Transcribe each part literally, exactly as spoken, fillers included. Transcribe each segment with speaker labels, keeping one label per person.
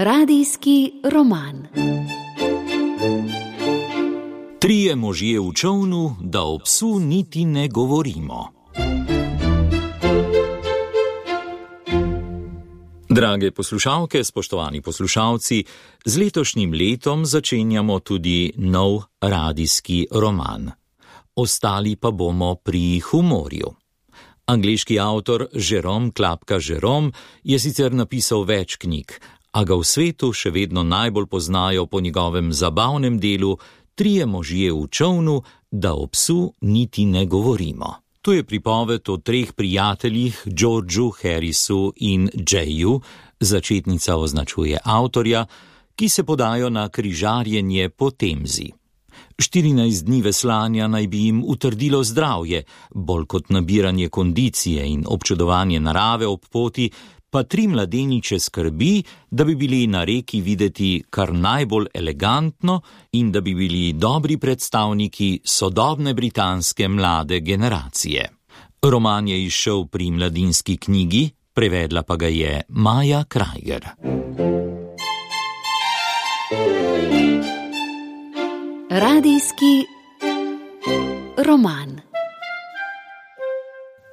Speaker 1: Radijski roman.
Speaker 2: Trije možje v čolnu, da o psu niti ne govorimo. Drage poslušalke, spoštovani poslušalci, z letošnjim letom začenjamo tudi nov radijski roman. Ostali pa bomo pri humorju. Angleški avtor Jerome Klapka Jerome je sicer napisal več knjig, a ga v svetu še vedno najbolj poznajo po njegovem zabavnem delu Trije možje v čolnu, da o psu niti ne govorimo. To je pripoved o treh prijateljih, Georgeu, Harrisu in Jayu, začetnica označuje avtorja, ki se podajo na križarjenje po Temzi. štirinajst dni veslanja naj bi jim utrdilo zdravje, bolj kot nabiranje kondicije in občudovanje narave ob poti, pa tri mladeniče skrbi, da bi bili na reki videti kar najbolj elegantno in da bi bili dobri predstavniki sodobne britanske mlade generacije. Roman je izšel pri Mladinski knjigi, prevedla pa ga je Maja Krajger.
Speaker 1: Radijski roman.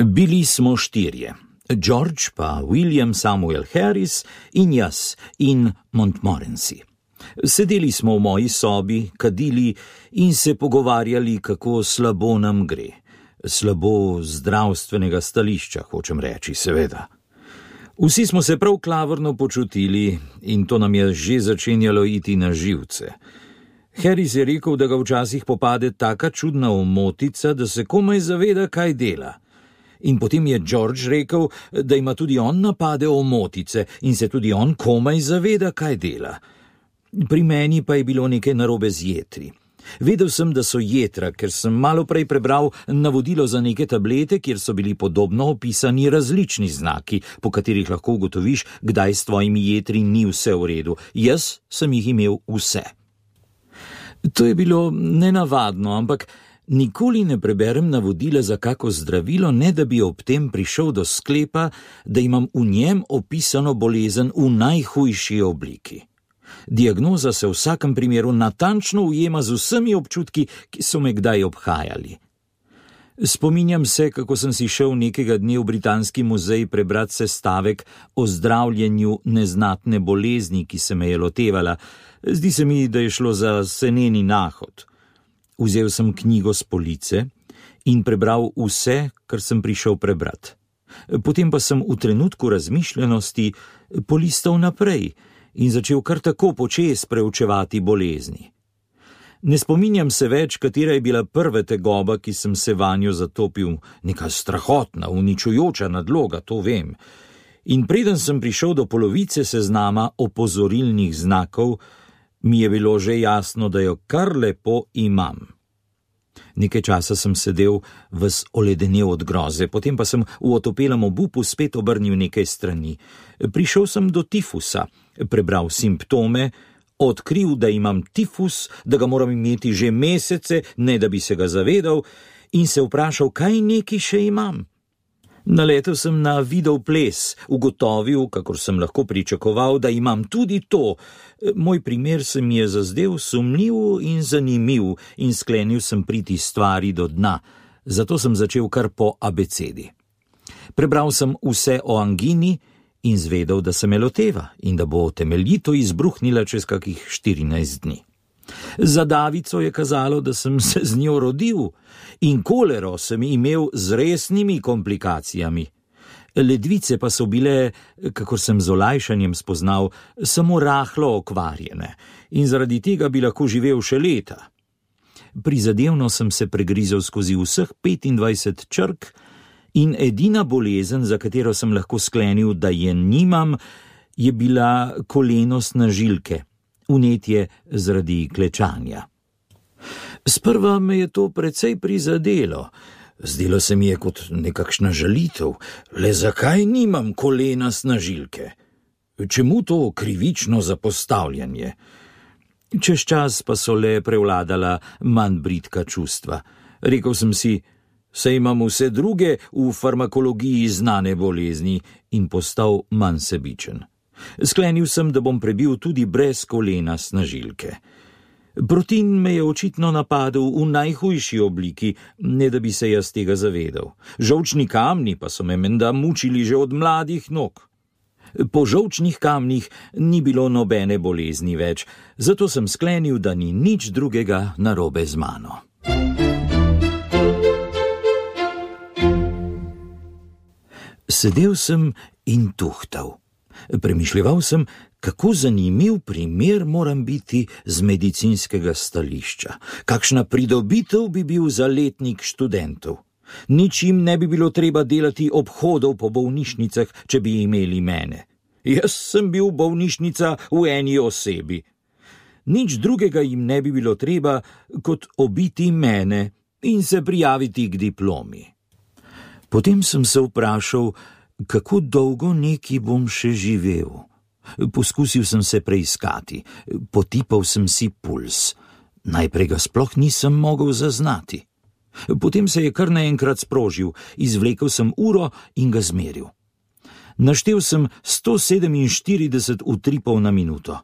Speaker 3: Bili smo štirje. George pa William Samuel Harris in jaz in Montmorency. Sedeli smo v moji sobi, kadili in se pogovarjali, kako slabo nam gre. Slabo zdravstvenega stališča, hočem reči, seveda. Vsi smo se prav klavrno počutili in to nam je že začenjalo iti na živce. Harris je rekel, da ga včasih popade taka čudna omotica, da se komaj zaveda, kaj dela. In potem je George rekel, da ima tudi on napade omotice in se tudi on komaj zaveda, kaj dela. Pri meni pa je bilo nekaj narobe z jetri. Vedel sem, da so jetra, ker sem malo prej prebral navodilo za neke tablete, kjer so bili podobno opisani različni znaki, po katerih lahko ugotoviš, kdaj s tvojimi jetri ni vse v redu. Jaz sem jih imel vse. To je bilo nenavadno, ampak nikoli ne preberem navodila za kako zdravilo, ne da bi ob tem prišel do sklepa, da imam v njem opisano bolezen v najhujši obliki. Diagnoza se v vsakem primeru natančno ujema z vsemi občutki, ki so me kdaj obhajali. Spominjam se, kako sem si šel nekega dne v Britanski muzej prebrati sestavek o zdravljenju neznatne bolezni, ki se me je lotevala. Zdi se mi, da je šlo za seneni nahod. Vzel sem knjigo s police in prebral vse, kar sem prišel prebrati. Potem pa sem v trenutku razmišljenosti polistal naprej in začel kar tako počez preučevati bolezni. Ne spominjam se več, katera je bila prva tegoba, ki sem se vanjo zatopil, neka strahotna, uničujoča nadloga, to vem. In preden sem prišel do polovice seznama opozorilnih znakov, mi je bilo že jasno, da jo kar lepo imam. Nekaj časa sem sedel ves oledenel od groze, potem pa sem v otopelem obupu spet obrnil nekaj strani. Prišel sem do tifusa, prebral simptome, odkril, da imam tifus, da ga moram imeti že mesece, ne da bi se ga zavedal, in se vprašal, kaj neki še imam. Naletel sem na video ples, ugotovil, kakor sem lahko pričakoval, da imam tudi to. Moj primer se mi je zazdel sumljiv in zanimiv in sklenil sem priti stvari do dna, zato sem začel kar po abecedi. Prebral sem vse o angini in zvedel, da se me loteva in da bo temeljito izbruhnila čez kakih štirinajst dni. Za davico je kazalo, da sem se z njo rodil in kolero sem imel z resnimi komplikacijami. Ledvice pa so bile, kakor sem z olajšanjem spoznal, samo rahlo okvarjene in zaradi tega bi lahko živel še leta. Prizadevno sem se pregrizel skozi vseh petindvajset črk in edina bolezen, za katero sem lahko sklenil, da je nimam, je bila kolenost na žilke. Vnetje zaradi klečanja. Sprva me je to precej prizadelo. Zdelo se mi je kot nekakšna žalitev. Le zakaj nimam kolena snažilke? Čemu to krivično zapostavljanje? Čez čas pa so le prevladala manj bridka čustva. Rekel sem si, saj imam vse druge v farmakologiji znane bolezni in postal manj sebičen. Sklenil sem, da bom prebil tudi brez kolena snažilke. Protin me je očitno napadel v najhujši obliki, ne da bi se jaz tega zavedal. Žolčni kamni pa so me menda mučili že od mladih nog. Po žolčnih kamnih ni bilo nobene bolezni več, zato sem sklenil, da ni nič drugega narobe z mano. Sedel sem in tuhtal. Premišljeval sem, kako zanimiv primer moram biti z medicinskega stališča. Kakšna pridobitev bi bil za letnik študentov. Nič jim ne bi bilo treba delati obhodov po bolnišnicah, če bi imeli mene. Jaz sem bil bolnišnica v eni osebi. Nič drugega jim ne bi bilo treba, kot obiti mene in se prijaviti k diplomi. Potem sem se vprašal, kako dolgo neki bom še živel. Poskusil sem se preiskati, potipal sem si puls. Najprej ga sploh nisem mogel zaznati. Potem se je kar naenkrat sprožil, izvlekel sem uro in ga zmeril. Naštel sem sto sedeminštirideset utripov na minuto.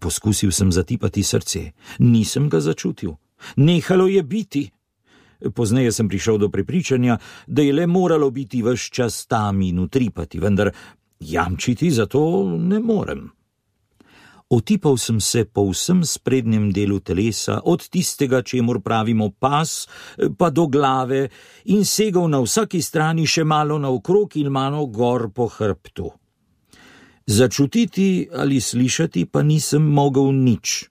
Speaker 3: Poskusil sem zatipati srce, nisem ga začutil. Nehalo je biti. Pozneje sem prišel do prepričanja, da je le moralo biti ves čas tam in utripati, vendar jamčiti za to ne morem. Otipal sem se po vsem sprednjem delu telesa, od tistega, čemur pravimo pas, pa do glave in segal na vsaki strani še malo naokrog in malo gor po hrbtu. Začutiti ali slišati pa nisem mogel nič.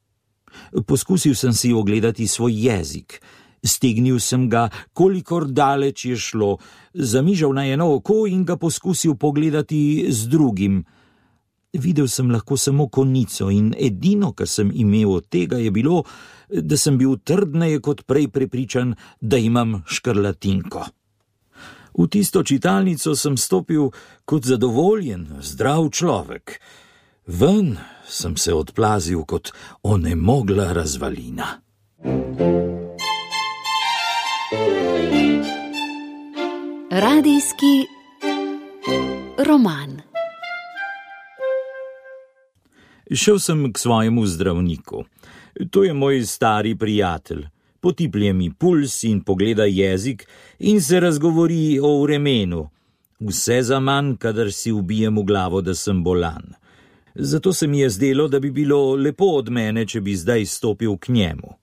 Speaker 3: Poskusil sem si ogledati svoj jezik. Stegnil sem ga, kolikor daleč je šlo, zamižal na eno oko in ga poskusil pogledati z drugim. Videl sem lahko samo konico in edino, kar sem imel od tega, je bilo, da sem bil trdneje kot prej prepričan, da imam škrlatinko. V tisto čitalnico sem stopil kot zadovoljen, zdrav človek. Ven sem se odplazil kot onemogla razvalina.
Speaker 1: Radijski roman.
Speaker 3: Šel sem k svojemu zdravniku. To je moj stari prijatelj. Potiplje mi puls in pogleda jezik in se razgovori o vremenu. Vse zaman, kadar si ubijem v glavo, da sem bolan. Zato se mi je zdelo, da bi bilo lepo od mene, če bi zdaj stopil k njemu.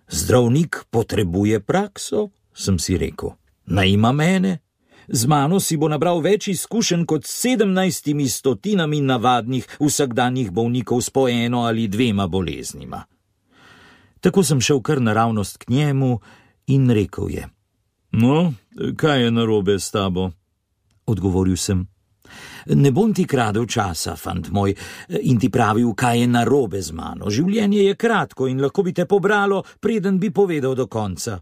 Speaker 3: Zdravnik potrebuje prakso, sem si rekel. Naj ima mene. Z mano si bo nabral več izkušenj kot sedemnajstimi stotinami navadnih vsakdanjih bolnikov s po eno ali dvema boleznima. Tako sem šel kar naravnost k njemu in rekel je: No, kaj je narobe s tabo? Odgovoril sem: Ne bom ti kradel časa, fant moj, in ti pravil, kaj je narobe z mano. Življenje je kratko in lahko bi te pobralo, preden bi povedal do konca.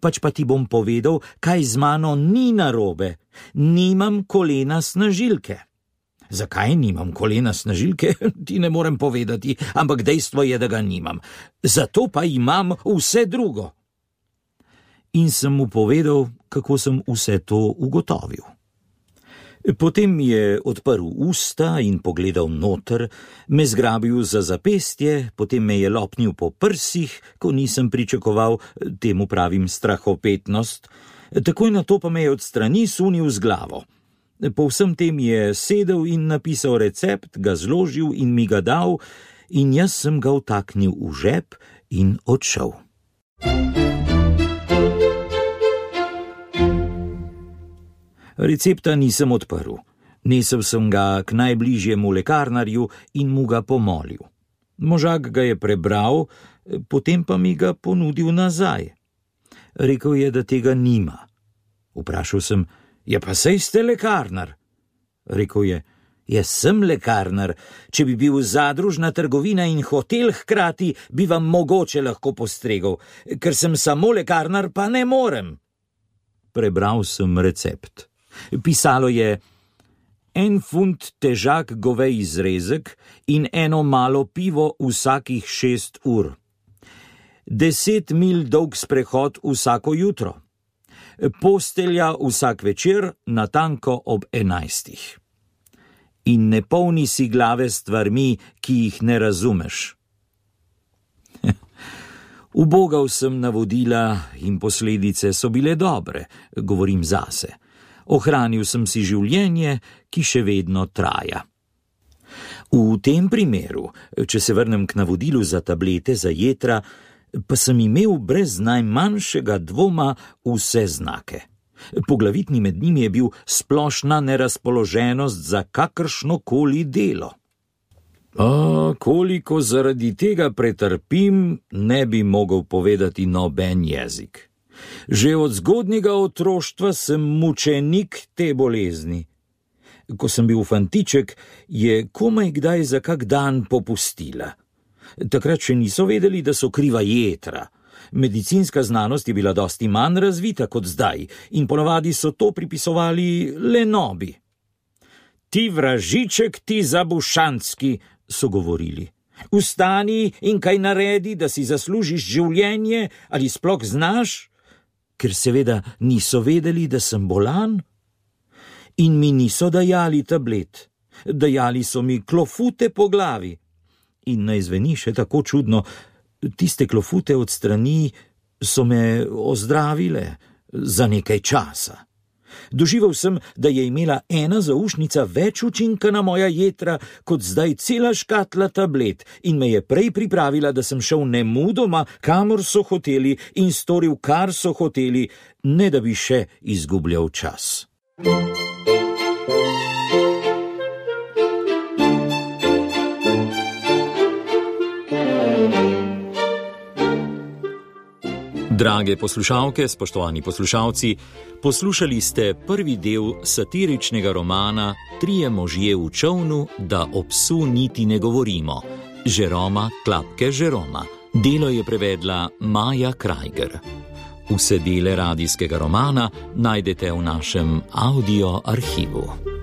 Speaker 3: Pač pa ti bom povedal, kaj z mano ni narobe. Nimam kolena snažilke. Zakaj nimam kolena snažilke, ti ne morem povedati, ampak dejstvo je, da ga nimam. Zato pa imam vse drugo. In sem mu povedal, kako sem vse to ugotovil. Potem mi je odprl usta in pogledal noter, me zgrabil za zapestje, potem me je lopnil po prsih, ko nisem pričakoval, temu pravim strahopetnost, takoj na to pa me je od strani sunil z glavo. Po vsem tem je sedel in napisal recept, ga zložil in mi ga dal, in jaz sem ga vtaknil v žep in odšel. Recepta nisem odprl. Nesel sem ga k najbližjemu lekarnarju in mu ga pomolil. Možak ga je prebral, potem pa mi ga ponudil nazaj. Rekel je, da tega nima. Vprašal sem: Ja, pa sej ste lekarnar. Rekel je: Jaz sem lekarnar. Če bi bil zadružna trgovina in hotel hkrati, bi vam mogoče lahko postregel. Ker sem samo lekarnar, pa ne morem. Prebral sem recept. Pisalo je: en funt težak govej zrezek in eno malo pivo vsakih šest ur. Deset mil dolg sprehod vsako jutro. Postelja vsak večer natanko ob enajstih. in ne polni si glave stvarmi, ki jih ne razumeš. Ubogal sem navodila in posledice so bile dobre, govorim zase. Ohranil sem si življenje, ki še vedno traja. V tem primeru, če se vrnem k navodilu za tablete za jetra, pa sem imel brez najmanjšega dvoma vse znake. Poglavitni med njimi je bil splošna nerazpoloženost za kakršnokoli delo. A koliko zaradi tega pretrpim, ne bi mogel povedati noben jezik. Že od zgodnjega otroštva sem mučenik te bolezni. Ko sem bil fantiček, je komaj kdaj za kak dan popustila. Takrat še niso vedeli, da so kriva jetra. Medicinska znanost je bila dosti manj razvita kot zdaj in ponavadi so to pripisovali lenobi. Ti vražiček, ti zabušanski, so govorili. Vstani in kaj naredi, da si zaslužiš življenje, ali sploh znaš? Ker seveda niso vedeli, da sem bolan. In mi niso dajali tablet. Dajali so mi klofute po glavi. In naj zveni še tako čudno, tiste klofute od strani so me ozdravile za nekaj časa. Doživel sem, da je imela ena zaušnica več učinka na moja jetra, kot zdaj cela škatla tablet in me je prej pripravila, da sem šel nemudoma, kamor so hoteli in storil, kar so hoteli, ne da bi še izgubljal čas.
Speaker 2: Drage poslušalke, spoštovani poslušalci, poslušali ste prvi del satiričnega romana Trije možje v čolnu, da o psu niti ne govorimo, Jeroma Klapke Jeroma. Delo je prevedla Maja Krajger. Vse dele radijskega romana najdete v našem audio arhivu.